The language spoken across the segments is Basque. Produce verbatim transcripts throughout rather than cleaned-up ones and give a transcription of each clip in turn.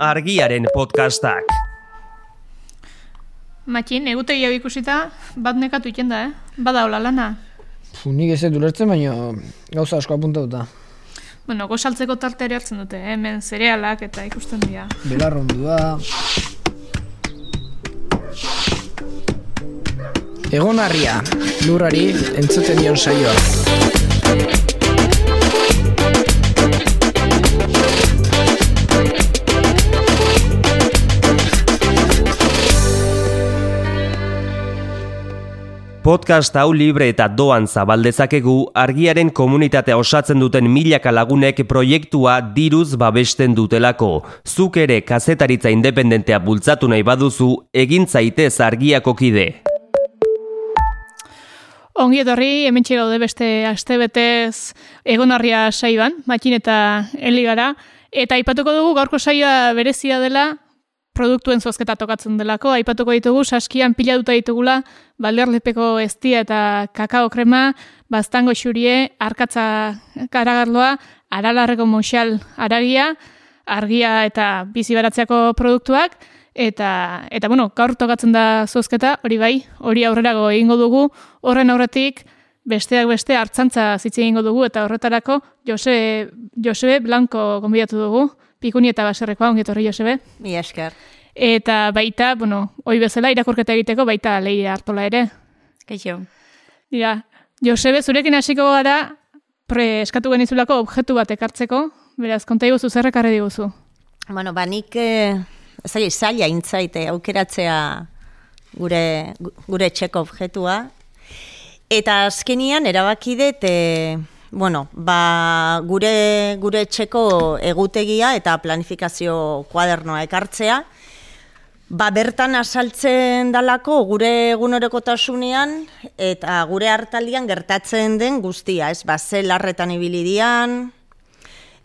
Argiaren podcastak. Matxin, egutegi hau ikusita, bat nekatu iten da, eh? Bada hola lana. Puh, nik ez dut ulertzen, baina gauza asko apuntatuta. Bueno, gozaltzeko tarteari hartzen dute, eh? Hemen zerealak eta ikusten dira. Belarrondua. Egonarria, lurrari entzuten dion saioa. Podcast hau libre eta doan zabaldezakegu, Argiaren komunitatea osatzen duten milaka lagunek proiektua diruz babesten dutelako. Zuk ere kazetaritza independentea bultzatu nahi baduzu, egin zaitez Argiako kide. Ongi etorri, hementxe gaude beste astebetez Egonarria saioan, Matxin eta Eli gara, eta aipatuko dugu gaurko saioa berezia dela, produktuen zozketa tokatzen delako, aipatuko ditugu, saskian pilatuta ditugula, balderlepeko eztia eta kakao krema, baztango xurie, arkatza karagarloa, aralarreko moxal aragia, argia eta bizi baratzeako produktuak, eta, eta bueno, gaur tokatzen da zozketa, hori bai, hori aurrerago egingo dugu, horren aurretik, besteak beste hartzantza zitze egingo dugu, eta horretarako Jose, Josebe Blanco gonbidatu dugu, Pikuni eta Baserrekoa, ongi etorri Josebe. Mi esker. Eta baita, bueno, hoi bezala irakurketa egiteko baita Leire Artola ere. Kaixo. Dira, Josebe, zurekin hasiko gara pre eskatu genizulako objektu bat ekartzeko, beraz, konta iguzu, zer ekarri diguzu? Bueno, ba, nik eh, zai, zaila intzaite aukeratzea gure, gure etxeko objektua. Eta azkenian erabaki dut, eh, bueno, ba, gure, gure etxeko egutegia eta planifikazio kuadernoa ekartzea, ba, bertan azaltzen dalako gure egunerokotasunean eta gure hartaldian gertatzen den guztia, ez, ba, ze larretan ibili dian,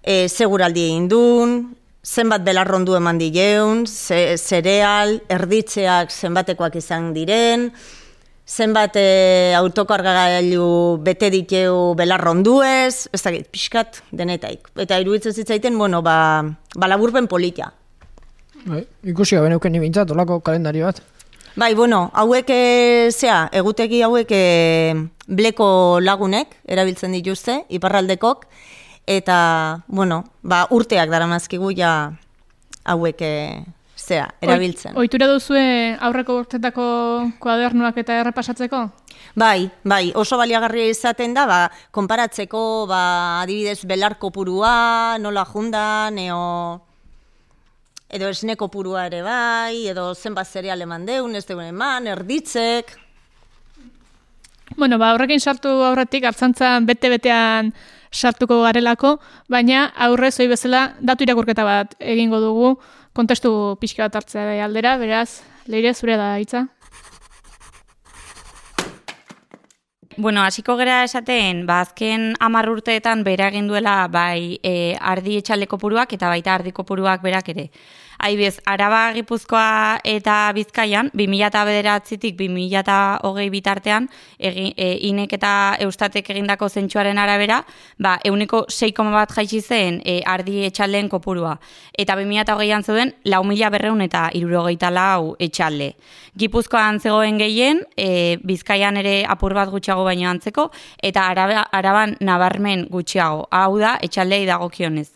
e, ze guraldi egin duen, zenbat belarrondu eman dileun, ze, zereal, erditzeak zenbatekoak izan diren, zenbat e, autokargagailu bete diteu belarronduez, ez dakit, pixkat denetaik. Eta iruditzen zitzaiten, bueno, ba, ba laburpen politia. Bai, ikusi gabe neuken nibintzat, olako kalendari bat. Bai, bueno, hauek, e, zea, egutegi hauek e, bleko lagunek erabiltzen dituzte, iparraldekok, eta, bueno, ba, urteak daramazkigu ja hauek e, zea, erabiltzen. Ohitura duzue aurreko urtetako kuadernoak eta errepasatzeko? Bai, bai, oso baliagarria izaten da, ba, konparatzeko, ba, adibidez, belar kopurua, nola jundan, eo, edo esne kopurua ere bai, edo zenbat zereal eman deun, ez deun eman, erditzek. Bueno, ba, horrekin sartu aurretik, hartzantzan bete-betean sartuko garelako, baina aurrez hoi bezala datu irakurketa bat egingo dugu, kontestu pixka bat hartzea aldera, beraz, Leire, zure da hitza. Bueno, hasiko gera esaten, ba, azken hamar urteetan bera egin duela bai e, ardi etxalde kopuruak eta baita ardi kopuruak berak ere. Aibez, Araba, Gipuzkoa eta Bizkaian, bi mila bederatzitik bi mila hogei bitartean, egi, e, inek eta Eustatek egindako zentsuaren arabera, ba, euneko sei koma bat jaitsi zen e, ardi etxaldeen kopurua. Eta bi mila hogeian zeuden, lau mila berreun eta hirurogeita lau etxalde. Gipuzkoan zegoen gehien, e, Bizkaian ere apur bat gutxiago baino antzeko, eta Araba, Araban nabarmen gutxiago. Hau da, etxaldei dagokionez.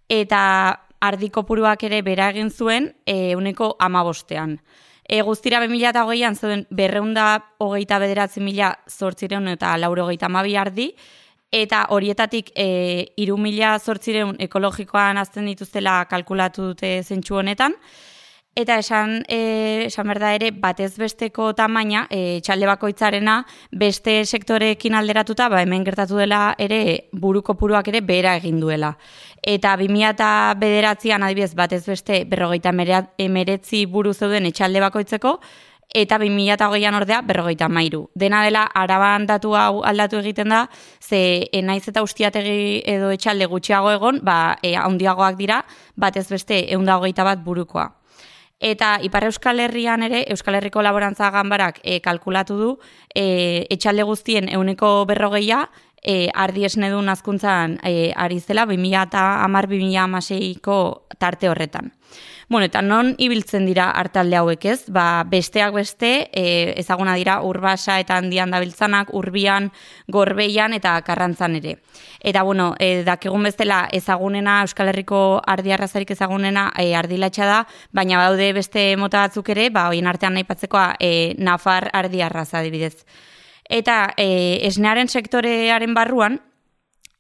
Eta ardi kopuruak ere bera egin zuen ehuneko hamabostean. E, guztira bi mila hogeian zuen berreunda hogeita bederatzi mila zortzireun eta laurogeita hamabi ardi, eta horietatik e, hiru mila zortzireun ekologikoan azten dituztela kalkulatu dute zentsu honetan, eta esan, e, esan berda ere batez besteko tamaina, e, txalde bakoitzarena beste sektoreekin alderatuta, ba, hemen gertatu dela ere buru kopuruak ere behera egin duela. Eta bi mila bederatzian adibidez batez beste berrogeita emeretzi buru zeuden etxalde bakoitzeko, eta bi mila hogeian ordea berrogeita hamairu. Dena dela, Araban datu hau aldatu egiten da, ze naiz eta ustiategi edo etxalde gutxiago egon, ba, e, handiagoak dira, batez beste ehun eta hogeita bat burukoa. Eta Ipar Euskal Herrian ere, Euskal Herriko Laborantza Ganbarak e, kalkulatu du, e, etxalde guztien ehuneko berrogeia e, ardi esnedun azkuntzan e, ari zela, bi mila hamar bi mila hamaseiko tarte horretan. Bueno, eta non ibiltzen dira artalde hauek ez? Ba, besteak beste, e, ezaguna dira Urbasa eta Handian dabiltzanak, Urbian, Gorbeian eta Karrantzan ere. Eta, bueno, e, dakigun bezala ezagunena, Euskal Herriko ardi arrazarik ezagunena e, ardilatxa da, baina baude beste mota batzuk ere, ba, hoien artean naipatzekoa e, Nafar ardi arraza adibidez. Eta e, esnearen sektorearen barruan,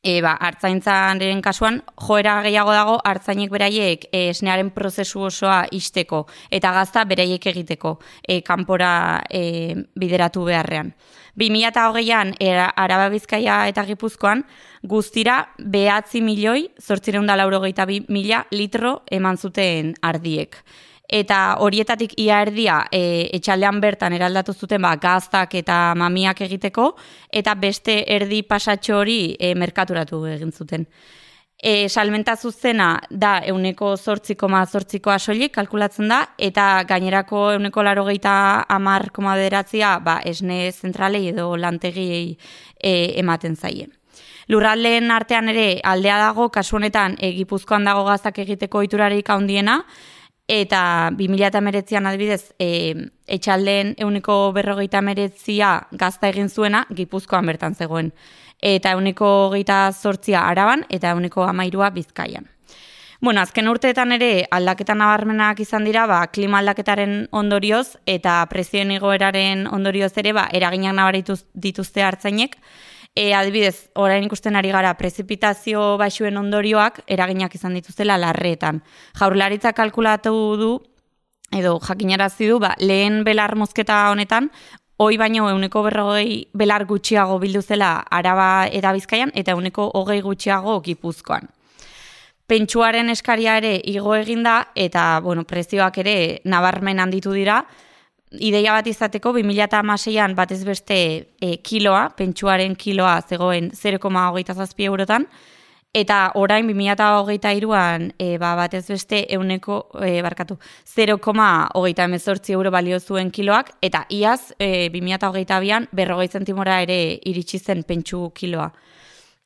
E, ba, artzaintzaren kasuan, joera gehiago dago artzainek beraiek e, esnearen prozesu osoa isteko eta gazta beraiek egiteko e, kanpora e, bideratu beharrean. bi mila hogeian Araba Bizkaia eta Gipuzkoan guztira behatzi milioi zortziehun eta laurogeita bi mila litro eman zuten ardiek. Eta horietatik ia erdia e, etxaldean bertan eraldatu zuten ba, gaztak eta mamiak egiteko, eta beste erdi pasatxo hori e, merkaturatu egin zuten. E, salmenta zuzena da euneko zortzi koma zortzikoa soilik kalkulatzen da, eta gainerako euneko laurogeita hamar koma bederatzia ba, esne zentralei edo lantegiei e, ematen zaie. Lurraldeen artean ere aldea dago, kasu honetan e, Gipuzkoan dago gaztak egiteko ohiturarik handiena, eta bi mila hemeretzian adibidez, e, etxaldeen euneko berrogeita hemeretzia gazta egin zuena, Gipuzkoan bertan zegoen. Eta euneko hogeita zortzia Araban, eta euneko hamairua Bizkaian. Bueno, azken urteetan ere aldaketa nabarmenak izan dira, ba, klima aldaketaren ondorioz, eta prezioen igoeraren ondorioz ere, ba, eraginak nabaritu dituzte artzainek. E, adibidez, orain ikusten ari gara prezipitazio baxuen ondorioak eraginak izan dituztela larreetan. Jaurlaritza kalkulatu du, edo jakinarazi du, ba, lehen belar mozketa honetan, hoi baino euneko berrogei belar gutxiago bildu zela Araba eta Bizkaian, eta euneko hogei gutxiago Gipuzkoan. Pentsuaren eskaria ere igo eginda, eta bueno, prezioak ere nabarmen handitu dira. Ideia bat izateko, bi mila hamaseian batez beste e, kiloa, pentsuaren kiloa zegoen zero koma hogeita zazpi eurotan, eta orain bi mila hogeita hiruan e, ba, batez beste euneko, e, barkatu, zero koma hogeita hemezortzi euro balio zuen kiloak, eta iaz e, bi mila hogeita bian berrogei zentimora ere iritsi zen pentsu kiloa.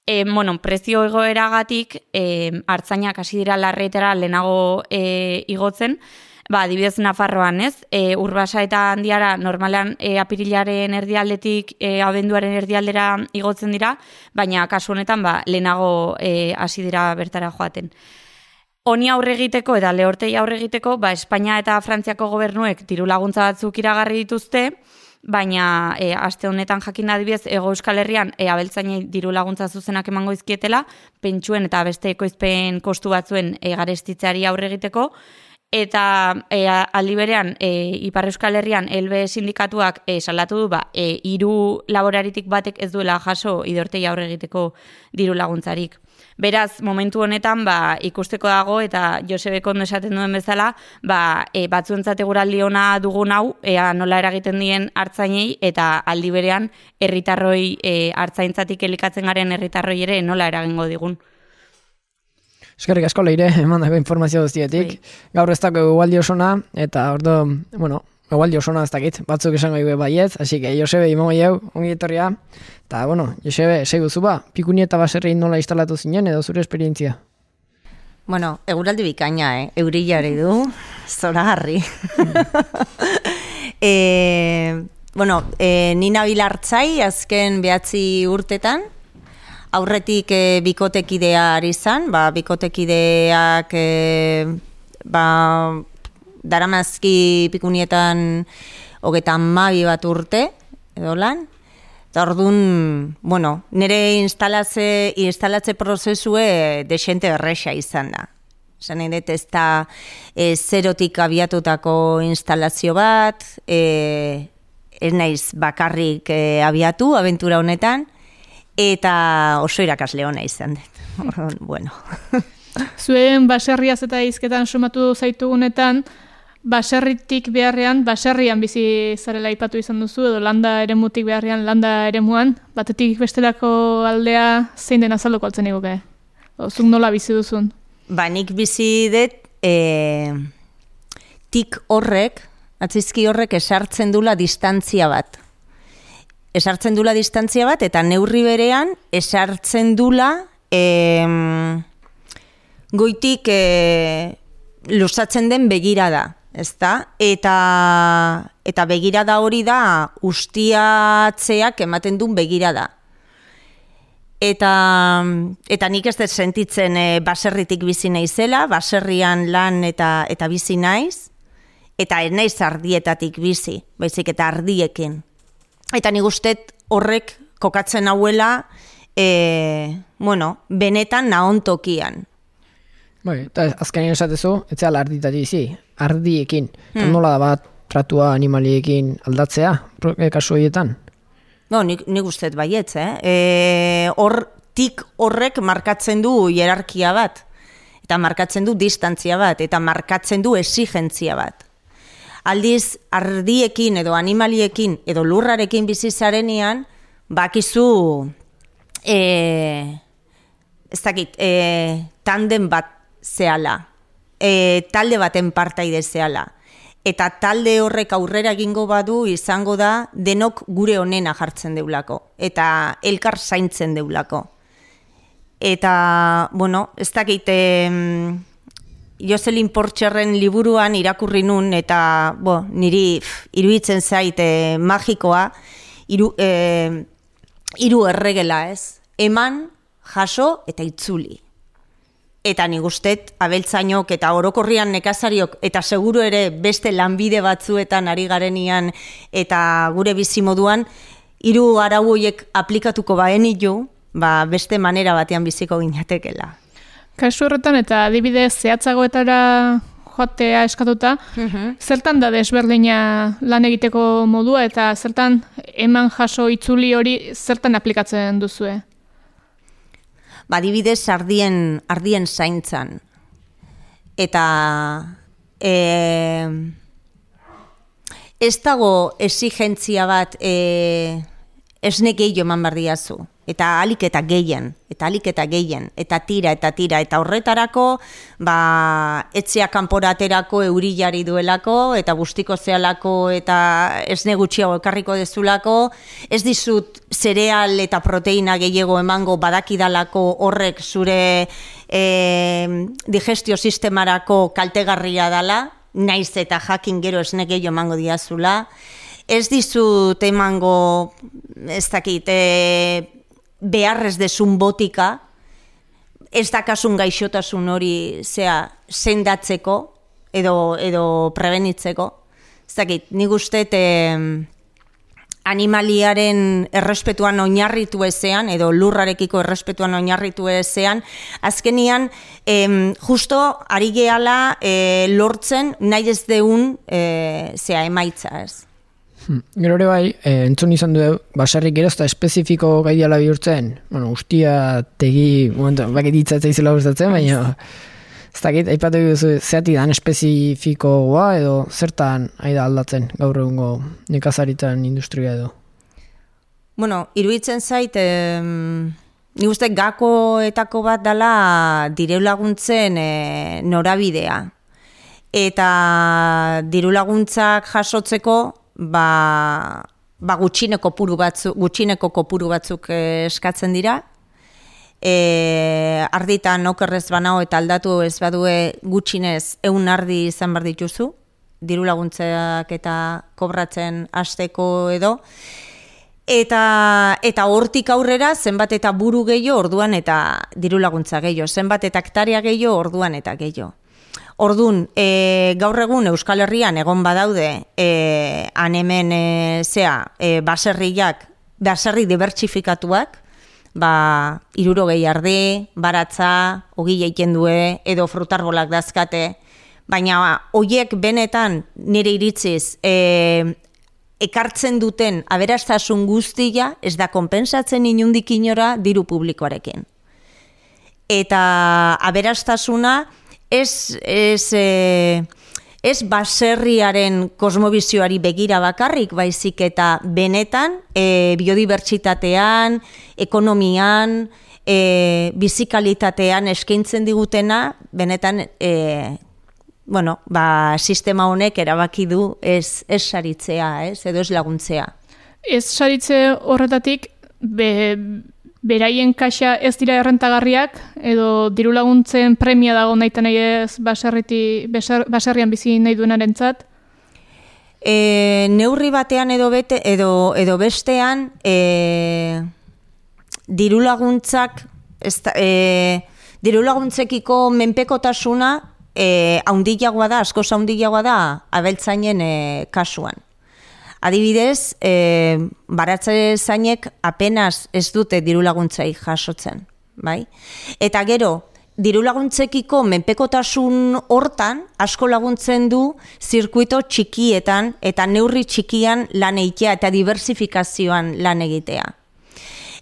E, bueno, prezio egoeragatik e, artzainak hasi dira larreetara lehenago e, igotzen. Ba, adibidez Nafarroan, ez? E, Urbasa eta Handiara normalean e, apirilaren erdialdetik e, abenduaren erdialdera igotzen dira, baina kasu honetan ba, lehenago e, hasi dira bertara joaten. Honi aurre egiteko eta lehortei aurre egiteko, ba, Espainia eta Frantziako gobernuek diru laguntza batzuk iragarri dituzte, baina e, aste honetan jakin adibidez Hego Euskal Herrian e, abeltzainei diru laguntza zuzenak emango izkietela, pentsuen eta beste ekoizpen kostu batzuen e, garestitzeari aurre egiteko, eta e, aldi berean e, Ipar Euskal Herrian Elbe sindikatuak e, salatu du ba, e, hiru laboraritik batek ez duela jaso idortei aurre egiteko diru laguntzarik. Beraz, momentu honetan ba, ikusteko dago eta Josebek ondo esaten duen bezala, ba, e, batzuentzat eguraldi ona dugun hau, ea nola eragiten dien artzainei eta aldi berean herritarroi e, artzaintzatik elikatzen garen herritarroi ere nola eragingo digun. Eskerrik asko Leire, eman dago informazio guztietik. Gaur ez dago egualdi osona, eta ordo, bueno, egualdi osona ez dakit, batzuk esango ibe baiet, así que Josebe imango jau, ongi etorria. Eta, bueno, Josebe, seiguzu ba, pikuni eta baserri nola instalatu zinen edo zure esperientzia? Bueno, eguraldi bikaina, eh? Eurillari du, zoragarri. e, bueno, e, Nina Bilartzai, azken behatzi urtetan, aurretik e, bikotekidea ari zan, ba, bikotekideak e, ba, daramazki pikunietan hogeita hamabi bat urte, edo lan. Eta orduan, bueno, nire instalatze, instalatze prozesue desente erresa izan da. Zan nahi dut ez da e, zerotik abiatutako instalazio bat, e, ez naiz bakarrik e, abiatu, abentura honetan, eta oso irakasle ona izan dut. Bueno. Zuen baserriaz eta hizketan sumatu zaitugunetan, baserritik beharrean, baserrian bizi zarela aipatu izan duzu, edo landa eremutik beharrean, landa eremuan, batetik bestelako aldea zein den azalduko altzen iguke? Zuk nola bizi duzun? Ba, nik bizi dut, e, tik horrek, atzizki horrek esartzen dula distantzia bat. esartzen dula distantzia bat, eta neurri berean esartzen dula em, goitik e, luzatzen den begirada, ezta? Eta, eta begirada hori da ustiatzeak ematen duen begirada. Eta, eta nik ez dut sentitzen e, baserritik bizi naizela, baserrian lan eta, eta bizi naiz, eta ez naiz ardietatik bizi, baizik eta ardiekin. Eta nik ustet horrek kokatzen hauela, e, bueno, benetan nahontokian. Bai, eta azkenean esatezu, ez zela arditatik bizi, ardiekin. Hmm. Eta nola da bat tratua animaliekin aldatzea, kasu horietan? No, nik, nik ustet baietz, eh? E, hor, tik horrek markatzen du hierarkia bat, eta markatzen du distantzia bat, eta markatzen du exigentzia bat. Aldiz, ardiekin edo animaliekin edo lurrarekin bizi zarenean, bakizu, e, ez dakit, e, tanden bat zehala, e, talde baten partaide zehala. Eta talde horrek aurrera egingo badu izango da denok gure onena jartzen deulako. Eta elkar zaintzen deulako. Eta, bueno, ez dakit, eh, Joselin Portxerren liburuan irakurri nun, eta bo, niri pff, iruditzen zait eh, magikoa, iru, eh, iru erregela, ez? Eman, jaso eta itzuli. Eta nik ustet, abeltzainok eta orokorrian nekazariok, eta seguru ere beste lanbide batzuetan ari garenian eta gure bizimoduan, hiru arau horiek aplikatuko baenitu, ba beste manera batean biziko ginatekela. Kasu horretan eta adibidez zehatzagoetara joatea eskatuta, uh-huh. Zertan da desberdina lan egiteko modua eta zertan eman jaso itzuli hori zertan aplikatzen duzue? Badibidez ardien, ardien zaintzan. Eta e, ez dago exigentzia bat e, esne gehiago eman bardiazu. Eta alik eta gehien, eta alik eta gehien, eta tira, eta tira, eta horretarako, ba, etzea kanporaterako eurillari duelako, eta guztiko zealako, eta esne gutxiago ekarriko dezulako, ez dizut zereal eta proteina gehiago emango badakidalako horrek zure e, digestio sistemarako kaltegarria dala, naiz eta jakin gero esne gehiago emango diazula, ez dizut emango, ez dakit, e, beharrez desun botika, ez dakasun gaixotasun hori zea sendatzeko edo, edo prebenitzeko. Ez dakit, nik ustet eh, animaliaren errespetuan oinarritu ezean, edo lurrarekiko errespetuan oinarritu ezean, azkenian eh, justo ari gehala eh, lortzen nahi ez deun eh, zea emaitza ez. Hmm. Gero ere bai, e, entzun izan du, baserrik gerozta espezifiko gaidiala bihurtzen, bueno, ustia tegi, momentu, bakit hitzatzea izela gustatzen, baina ez dakit, aipatu duzu, zeatik dan espezifikoa edo zertan aida aldatzen gaur egungo nekazaritzan industria edo? Bueno, iruditzen zait, eh, nik uste gakoetako bat dela diru laguntzen eh, norabidea. Eta diru laguntzak jasotzeko ba, ba gutxineko kopuru batzuk, gutxineko kopuru batzuk eh, eskatzen dira. E, arditan okerrez banao eta aldatu ez badue gutxinez ehun ardi izan bar dituzu, diru laguntzak eta kobratzen hasteko edo. Eta, eta hortik aurrera zenbat eta buru gehiago orduan eta diru laguntza gehiago, zenbat eta hektarea gehiago orduan eta gehiago. Ordun, e, gaur egun Euskal Herrian egon badaude e, han hemen e, zea, e, baserriak, baserri dibertsifikatuak, ba, hirurogei ardi, baratza, ogi egiten due, edo frutarbolak dazkate, baina hoiek benetan nire iritziz e, ekartzen duten aberastasun guztia ez da konpensatzen inundik inora diru publikoarekin. Eta aberastasuna Ez, ez, e, ez baserriaren kosmobizioari begira bakarrik, baizik eta benetan e, biodibertsitatean, ekonomian, e, bizikalitatean eskaintzen digutena, benetan e, bueno, ba, sistema honek erabaki du ez, ez saritzea, ez, edo ez laguntzea. Ez saritze horretatik, be, beraien kaxa ez dira errentagarriak, edo diru laguntzen premia dago nahi nahi ez baserriti, baserrian bizi nahi duenarentzat? E, neurri batean edo, bete, edo, edo bestean, e, diru laguntzak, ez da, e, diru laguntzekiko menpekotasuna e, haundiagoa da, askoz haundiagoa da, abeltzainen e, kasuan. Adibidez, e, baratze zainek apenas ez dute diru laguntzai jasotzen, bai? Eta gero, diru laguntzekiko menpekotasun hortan asko laguntzen du zirkuito txikietan eta neurri txikian lan egitea eta diversifikazioan lan egitea.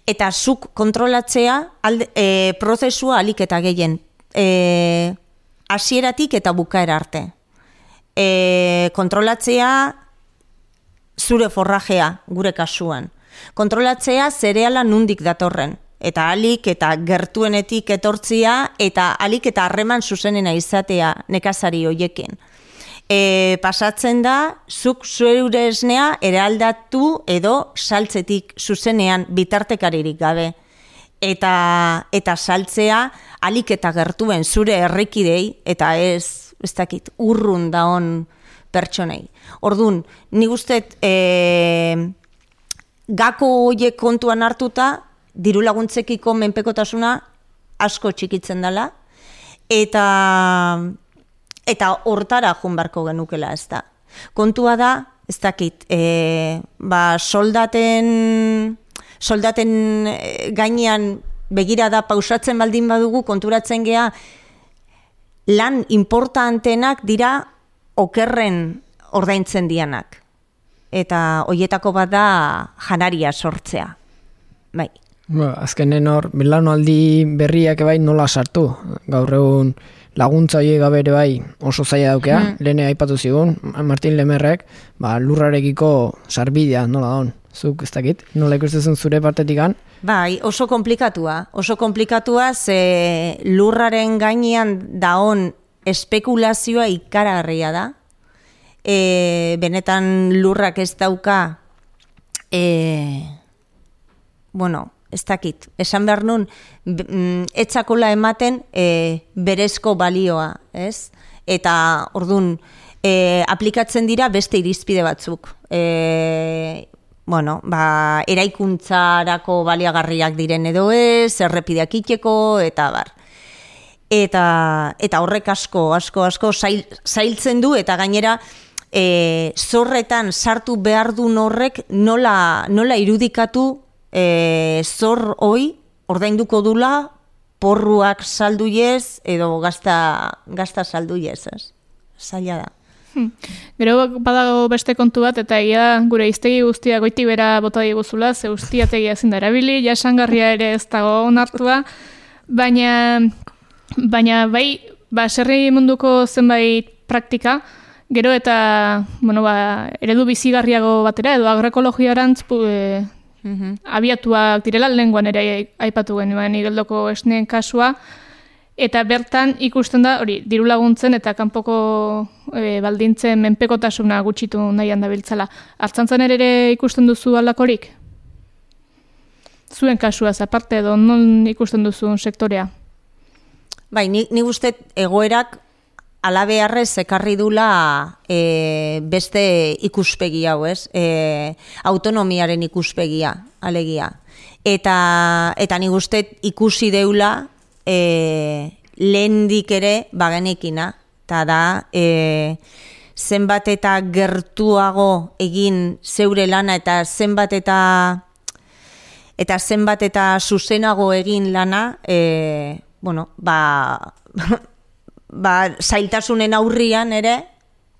Eta zuk kontrolatzea alde, e, prozesua alik eta gehien e, hasieratik eta bukaera arte. E, kontrolatzea zure forrajea, gure kasuan. Kontrolatzea zereala nundik datorren. Eta alik eta gertuenetik etortzia eta alik eta harreman zuzenena izatea nekazari hoiekin. E, pasatzen da, zuk zure esnea eraldatu edo saltzetik zuzenean bitartekaririk gabe. Eta, eta saltzea alik eta gertuen zure herrikidei eta ez, ez dakit, urrun daon pertsonei. Orduan, nik uste e, gako horiek kontuan hartuta, diru laguntzekiko menpekotasuna asko txikitzen dela, eta eta hortara joan beharko genukela, ez da. Kontua da, ez dakit, e, ba, soldaten, soldaten gainean begirada pausatzen baldin badugu, konturatzen gea, lan importantenak dira okerren ordaintzen dianak. Eta hoietako bat da janaria sortzea. Bai. Ba, azkenen hor, belaunaldi berriak bai nola sartu. Gaur egun laguntza horiek gabe ere bai oso zaila daukea. Mm. Lehen aipatu zigun, Martin Lemerrek, ba, lurrarekiko sarbidea nola daun. Zuk ez dakit, nola ikusten zure partetikan? Bai, oso komplikatua. Oso komplikatua ze lurraren gainean daon espekulazioa ikaragarria da. E, benetan lurrak ez dauka e, bueno, ez dakit, esan behar nun etzakola ematen e, berezko balioa, ez? Eta ordun e, aplikatzen dira beste irizpide batzuk. E, bueno, ba, eraikuntzarako baliagarriak diren edo ez, errepideak iteko, eta bar. Eta, eta horrek asko, asko, asko zail, zailtzen du, eta gainera e, zorretan sartu behar duen horrek nola, nola irudikatu e, zor hoi ordainduko dula porruak salduiez edo gazta, gazta salduiez, ez? Zaila da. Hmm. Gero badago beste kontu bat, eta egia gure iztegi guztia goiti bera bota diguzula, ze ustiategia ezin da erabili, jasangarria ere ez dago onartua, baina... Baina bai, baserri munduko zenbait praktika, gero eta bueno, ba, eredu bizigarriago batera, edo agroekologiarantz e, mm-hmm. abiatuak direla, lenguan ere aipatu genuen igeldoko esneen kasua, eta bertan ikusten da, hori, diru laguntzen eta kanpoko e, baldintzen menpekotasuna gutxitu nahian dabiltzala. Artzantzan ere ikusten duzu alakorik? Zuen kasuaz, aparte edo non ikusten duzun sektorea? Bai, ni, ni uste egoerak alabearrez ekarri dula e, beste ikuspegi hau, ez? E, autonomiaren ikuspegia, alegia. Eta, eta ni uste ikusi deula e, lehendik ere bagenekina, eta da e, zenbat eta gertuago egin zeure lana eta zenbat eta eta zenbat eta zuzenago egin lana, e, bueno, ba, ba, zailtasunen aurrian ere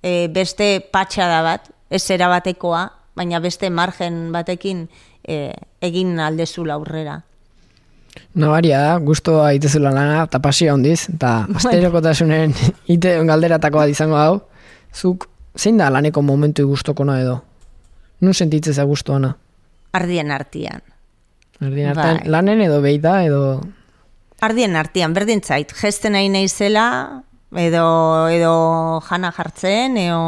e, beste patxada bat, ez erabatekoa, baina beste margen batekin e, egin aldezula aurrera. Nabaria da, guztua itezula lana, eta pasia hondiz, eta asterokotasunen ite galderatakoa izango hau, zuk zein da laneko momentu guztokona edo? Nun sentitzeza guztuana? Ardien artian. Ardien artian, bai. Lanen edo beita edo... Ardien artian, berdin zait, gesten nahi naizela, edo, edo jana jartzen, edo,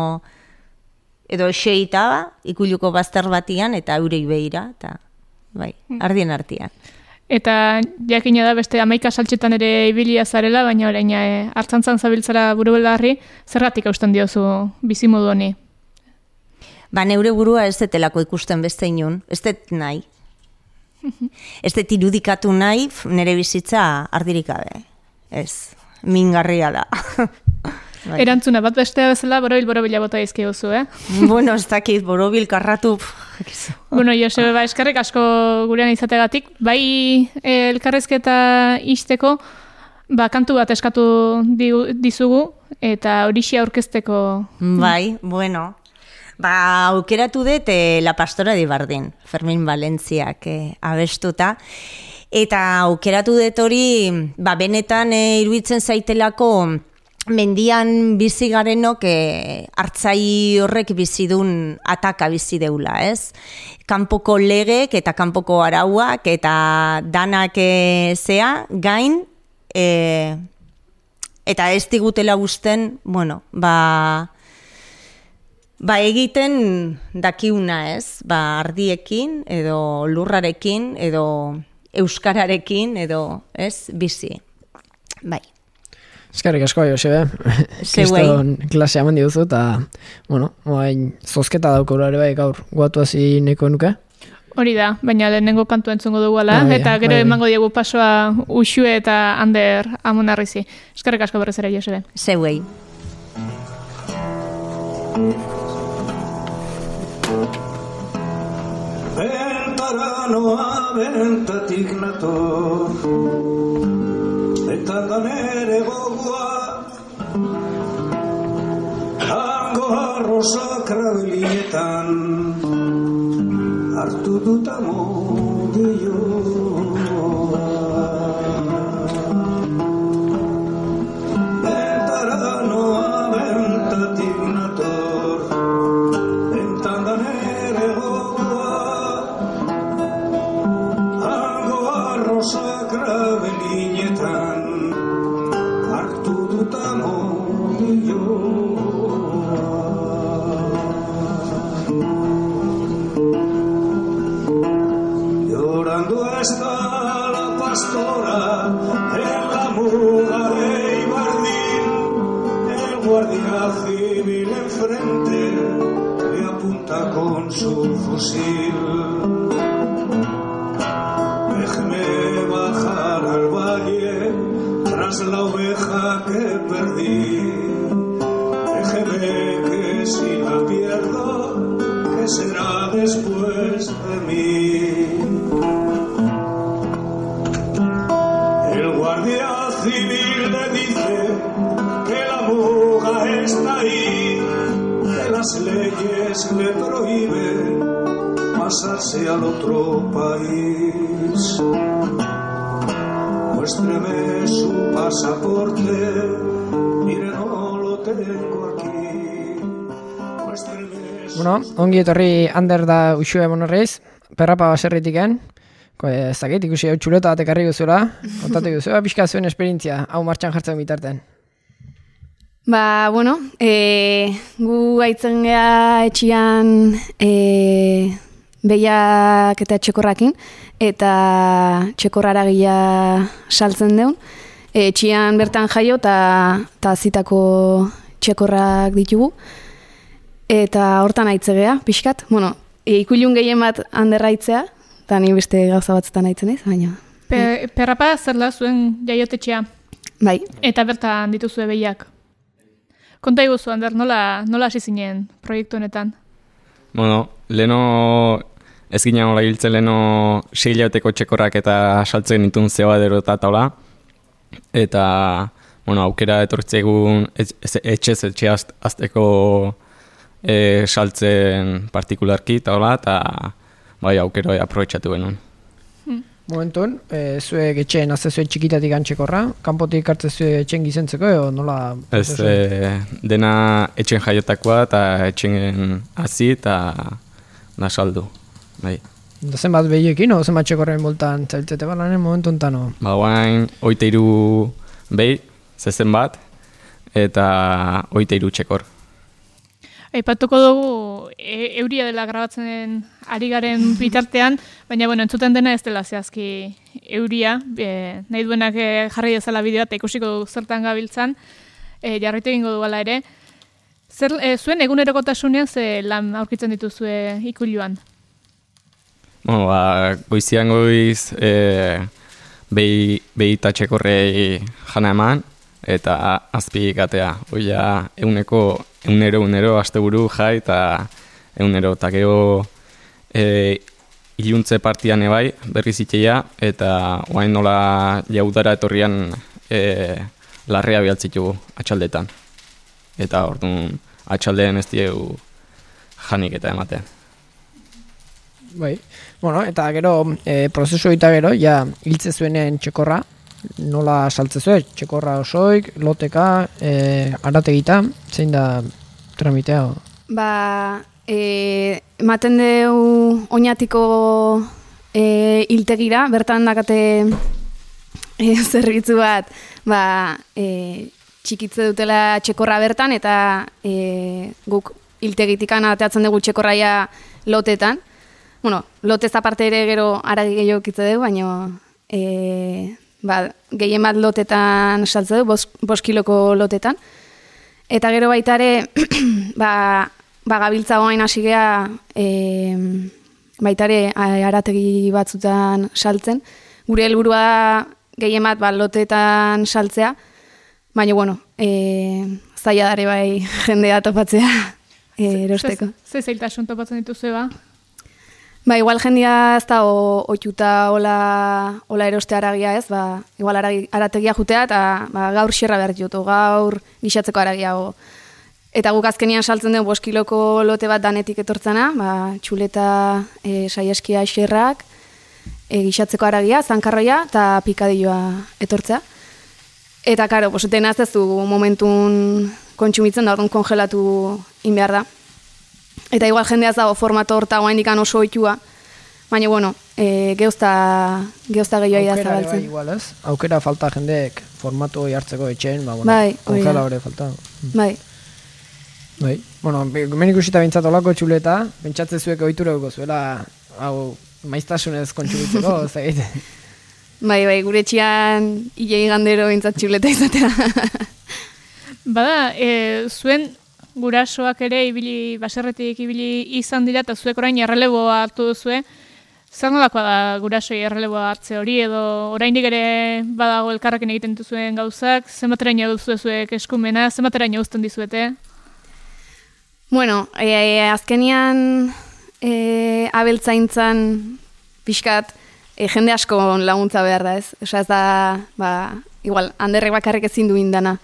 edo xeita, ikuluko bazter batian, eta eurei behira, eta bai, ardien artean. Eta jakina da beste hamaika saltxetan ere ibilia zarela, baina orain e, hartzantzan zabiltzara buru belarri, zergatik hausten diozu bizimodu honi? Ba, neure burua ez detelako ikusten beste inun, ez det nahi. Ez det irudikatu nahi, nire bizitza ardirik gabe. Ez, mingarria da. Bai. Erantzuna bat bestea bezala borobil borobila bota izkiguzu, eh? Bueno, ez dakit, borobil karratu. Bueno, Josebe, ba, eskerrik asko gurean izategatik. Bai, elkarrezketa isteko, ba, kantu bat eskatu dizugu, eta horixe aurkezteko. Bai, bueno. Ba, aukeratu dut eh, La Pastora de Bardén, Fermin Valentziak eh, abestuta. Eta aukeratu dut hori, ba, benetan eh, iruditzen zaitelako mendian bizi garenok eh, hartzai horrek bizidun ataka bizi deula, ez? Kanpoko legek eta kanpoko arauak eta danak eh, zea, gain, eh, eta ez digutela gusten, bueno, ba... Ba, egiten dakiuna, ez? Ba, ardiekin, edo lurrarekin, edo euskararekin, edo, ez? Bizi. Bai. Eskerrik asko, Josebe. Kriston klasea eman diguzu, eta, bueno, oain, zozketa daukura ere bai gaur guatu hasi neko nuke. Hori da, baina lehenengo kantu entzungo dugu ala, Bai, eta gero bai. emango diegu pasoa Uxue eta Ander Amonarrizi. Eskerrik asko berrez ere, Josebe. Zeuei. Bentaranoa bentatik nator, eta da nere gogoa, hango arrosa krabilietan, hartu dut amodioa. Bentaranoa bentatik nator, eta da nere gogoa, sakra belinetan hartu dut amodioa. Llorando está la pastora en la muga de Ibardín, el guardia civil enfrente le apunta con su fusil. Déjeme bajar al valle tras la oveja que perdí. Déjeme que si la pierdo, ¿qué será después de mí? El guardia civil le dice que la muga está ahí, que las leyes le prohíben pasarse al otro país. Muéstreme su pasaporte, mire no lo tengo aquí. Muéstreme su... Bueno, ongi etorri Ander da Uxue Amonarriz, perrapa baserritiken. Ez dakit, ikusi hau txuleta bat ekarri guzura, kontatu guzura, pixka zuen esperientzia, hau martxan jartzen bitarten. Ba, bueno, e, gu gaitzen geha etxian e, behiak eta txekorrakin, eta txekorrara gila saltzen deun. E, etxian bertan jaio eta zitako txekorrak ditugu, eta hortan aitze geha, pixkat. Bueno, e, ikulun gehien bat handerraitzea, eta ni beste gauza batzutan aitzen ez, baina... Pe, perrapa zer da zuen jaiotetxea? Bai. Eta bertan dituzue behiak. Konta iguzu, Ander, nola, nola hasi zinen proiektu honetan? Bueno, leno ez ginen hola hiltzen leno sei hilauteko txekorrak eta saltzen ditun zeba derota taula. Eta, bueno, aukera etortzegun etxez etxe azteko e, saltzen partikularki taula, eta bai aukero aprobetxatu genuen. Momentun, e, zuek etxeen azte zuen txikitatik antxekorra, kanpotik hartze zuen etxen gizentzeko, edo nola? Ez, e, dena etxen jaiotakoa eta etxen hazi eta da saldu. Bai. Da zenbat behiekin, o zenbat txekorren boltan zailtzete balanen momentu ontano? Ba, guain, oite iru behi, zezen bat, eta oite iru txekor. Aipatuko dugu e, euria dela grabatzen ari garen bitartean, baina bueno, entzuten dena ez dela zehazki euria, e, nahi duenak e, jarri dezala bideo eta ikusiko du zertan gabiltzan, e, jarraitu egingo du ala ere. Zer, e, zuen egunerokotasunean ze lan aurkitzen dituzue ikuluan? Bueno, ba, goizian goiz e, behi, behi tatxekorrei jana eman, eta azpi gatea. Oia, euneko, eunero, eunero, asteburu jai, eta eunero, eta gero e, iluntze partian ebai, berriz itxeia, eta oain nola jaudara etorrian e, larrea bialtzitugu atxaldetan. Eta orduan atxaldeen ez diegu janik eta ematen. Bai, bueno, eta gero, e, prozesu eta gero, ja, hiltze zuenen txekorra, nola saltze zuen, txekorra osoik, loteka, e, arategita, zein da tramitea? Ba, e, ematen deu oinatiko e, hiltegira, bertan dakate e, zerbitzu bat, ba, e, txikitze dutela txekorra bertan, eta e, guk hiltegitikan ateatzen dugu txekorraia lotetan. Bueno, lotez aparte ere gero aragi gehiago kitze dugu, baina e, ba, gehien bat lotetan saltze dugu, bos, bos kiloko lotetan. Eta gero baita ere, ba, ba gabiltza goain hasi gea e, baita ere arategi batzutan saltzen. Gure helburua da gehien bat ba, lotetan saltzea, baina bueno, e, zaila dare bai jendea topatzea e, erosteko. Ze zailtasun topatzen dituzu ba? Ba, igual jendia ez da oituta hola, hola eroste aragia ez, ba, igual aragi, arategia jutea eta ba, gaur xerra behar dut, gaur gixatzeko aragia. O. Eta guk azkenian saltzen den bost kiloko lote bat danetik etortzena, ba, txuleta e, saieskia xerrak, e, gixatzeko aragia, zankarroia eta pikadilloa etortzea. Eta, karo, dena ez du momentun kontsumitzen da, orduan kongelatu in behar da. Eta igual jendeaz dago formato horta guain dikan oso oitua, baina, bueno, e, geuzta, geuzta gehiago da zabaltzen. Bai, igual ez? Aukera falta jendeek formato hartzeko etxeen, ba, bueno, bai, kongela hori falta. Bai. Bai, bueno, hemen ikusita bintzat olako txuleta, bentsatzen zuek ohitura dugu zuela, hau, maiztasunez kontsumitzeko, zait. Bai, bai, gure txian hilei gandero bintzat txuleta izatea. Bada, e, zuen gurasoak ere ibili, baserretik ibili izan dira, eta zuek orain erreleboa hartu duzue. Zer nolakoa da gurasoi erreleboa hartze hori, edo oraindik ere badago elkarrekin egiten duzuen gauzak, zenbateraino duzu zuek eskumena, zenbateraino uzten dizuete? Bueno, e, e, azkenian e, abeltzaintzan pixkat e, jende asko laguntza behar da ez. Osa ez da, ba, igual, handerrek bakarrik ezin du indana.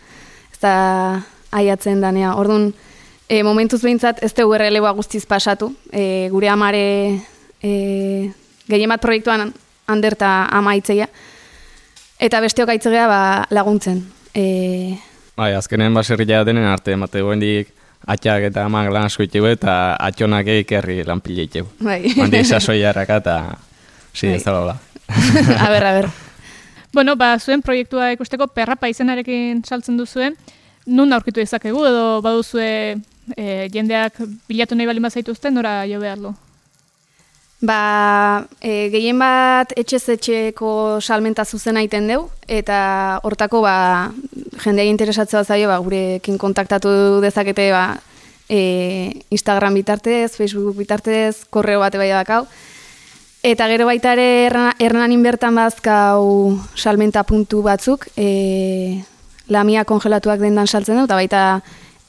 Ez da aiatzen danea. Orduan, e, momentuz behintzat ez dugu erreleboa guztiz pasatu. E, gure amare e, gehien bat proiektuan hander eta ama itzeia. Eta besteok aitzegea ba, laguntzen. E, bai, azkenen baserria denen arte, emate goendik atxak eta amak lan asko itxegu eta atxonak eikerri lan pila itxegu. Bai. Handik sasoi jarraka eta zi ez dala. A ber, a ber. Bueno, ba, zuen proiektua ikusteko perrapa izenarekin saltzen duzuen, nun aurkitu dezakegu edo baduzue e, jendeak bilatu nahi balin bazaituzten, nora jo behar du? Ba, e, gehien bat etxez etxeko salmenta zuzena egiten deu, eta hortako ba, jendea interesatzea zaio, ba, gurekin kontaktatu dezakete ba, e, Instagram bitartez, Facebook bitartez, korreo bate bai dakau. Eta gero baita ere Hernanin bertan bazkau salmenta puntu batzuk, e, lamia kongelatuak dendan saltzen du, eta baita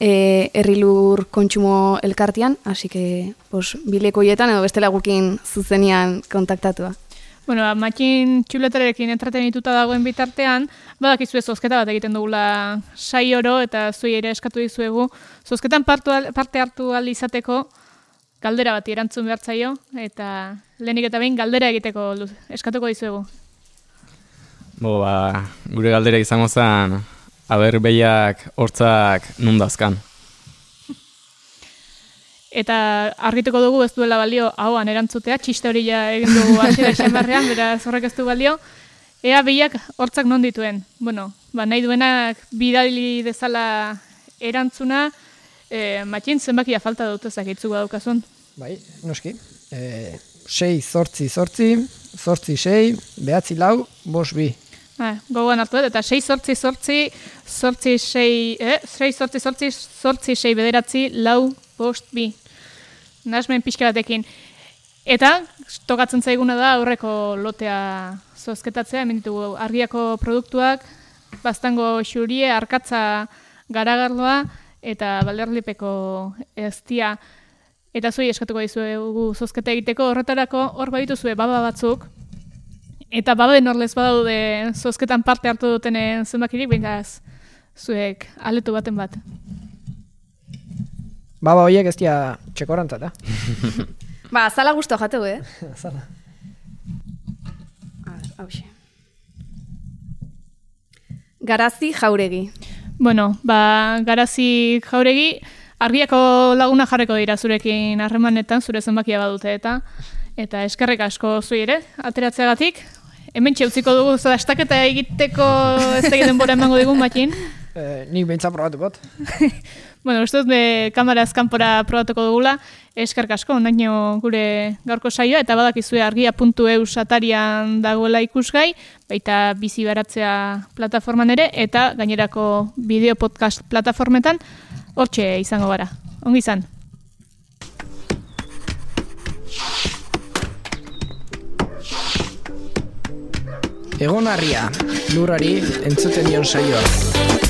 e, herrilur kontsumo elkartian, hasi que pues, bileko hietan edo bestela gukin zuzenian kontaktatua. Bueno, matxin txuletarekin entretenituta dagoen bitartean, badakizue zozketa bat egiten dugula sai oro eta zuei ere eskatu dizuegu. Zozketan parte hartu ahal izateko galdera bat erantzun behar zaio, eta lehenik eta behin galdera egiteko eskatuko dizuegu. Bo, ba, gure galdera izango zen, aber behiak hortzak nundazkan. Eta argituko dugu ez duela balio ahoan erantzutea, txiste hori ja egin dugu hasiera izan barrean, beraz horrek ez du balio. Ea behiak hortzak non dituen. Bueno, ba, nahi duenak bidali dezala erantzuna, E, Matxin, zenbakia falta dut ezakitzu daukazun? Bai, noski. E, sei, zortzi, zortzi, zortzi, sei, behatzi, lau, bos, bi. Ha, gogoan hartu dut, eta sei, zortzi, zortzi, zortzi, sei, eh? sei, zortzi, zortzi, zortzi, sei, bederatzi, lau, bost, bi. Nasmen pixka batekin. Eta, tokatzen zaiguna da aurreko lotea zozketatzea, hemen ditugu argiako produktuak, baztango xurie, arkatza garagardoa, eta balderlipeko eztia. Eta zuei eskatuko dizuegu zozketa egiteko horretarako, hor badituzue baba batzuk, eta baben horlez badaude zozketan parte hartu dutenen zenbakirik, behinaz zuek aletu baten bat. Baba horiek ez dira txekorantzat, eh? Ba, azala guztu jateu, eh? Azala. A ver, hauxe. Garazi Jauregi. Bueno, ba, Garazi Jauregi, argiako laguna jarreko dira zurekin harremanetan, zure zenbakia badute eta eta eskerrik asko zui ere, ateratzeagatik. Hemen txeutziko dugu, zara, estaketa egiteko ez egiten bora emango digun, Matxin. Eh, nik behintzat probatu bat. Bueno, uste dut be kameraz kanpora probatuko dugula, eskerrik asko, ondaino gure gaurko saioa, eta badakizue argia puntu e u atarian dagoela ikusgai, baita bizi baratzea plataforman ere, eta gainerako bideo podcast plataformetan, hortxe izango gara. Ongi izan. Egon harria, lurrari entzuten dion saioa.